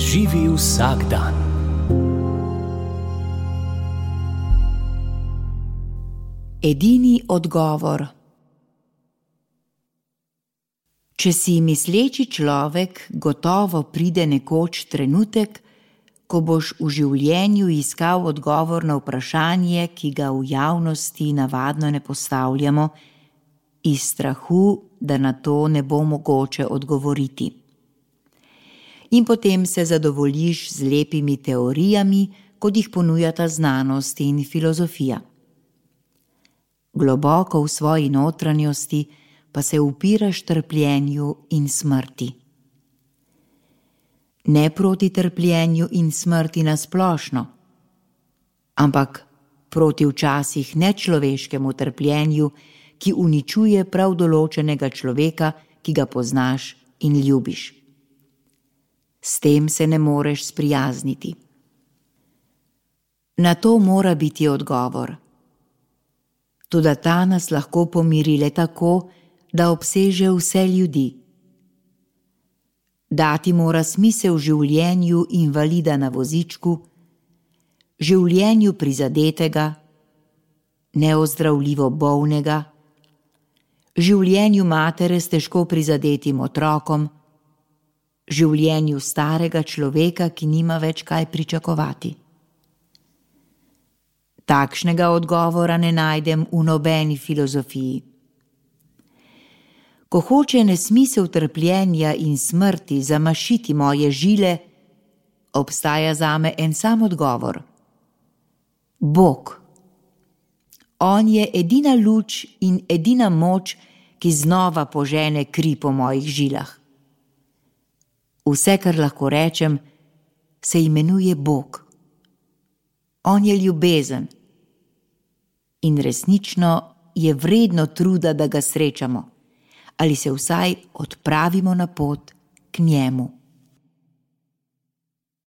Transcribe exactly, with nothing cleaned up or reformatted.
Živi vsak dan. Edini odgovor. Če si misleči človek, gotovo pride nekoč trenutek, ko boš v življenju iskal odgovor na vprašanje, ki ga v javnosti navadno ne postavljamo, iz strahu, da na to ne bo mogoče odgovoriti. In potem se zadovoljiš z lepimi teorijami, kot jih ponujata znanost in filozofija. Globoko v svoji notranjosti pa se upiraš trpljenju in smrti. Ne proti trpljenju in smrti na splošno, ampak proti včasih nečloveškemu trpljenju, ki uničuje prav določenega človeka, ki ga poznaš in ljubiš. S tem se ne moreš sprijazniti. Na to mora biti odgovor. Toda ta nas lahko pomiri le tako, da obseže vse ljudi. Dati mora smisel življenju invalida na vozičku, življenju prizadetega, neozdravljivo bolnega, življenju matere s težko prizadetim otrokom, življenju starega človeka, ki nima več kaj pričakovati. Takšnega odgovora ne najdem v nobeni filozofiji. Ko hoče nesmisel trpljenja in smrti zamašiti moje žile, obstaja zame en sam odgovor. Bog. On je edina luč in edina moč, ki znova požene kri po mojih žilah. Vse, kar lahko rečem, se imenuje Bog. On je ljubezen. In resnično je vredno truda, da ga srečamo, ali se vsaj odpravimo na pot k njemu.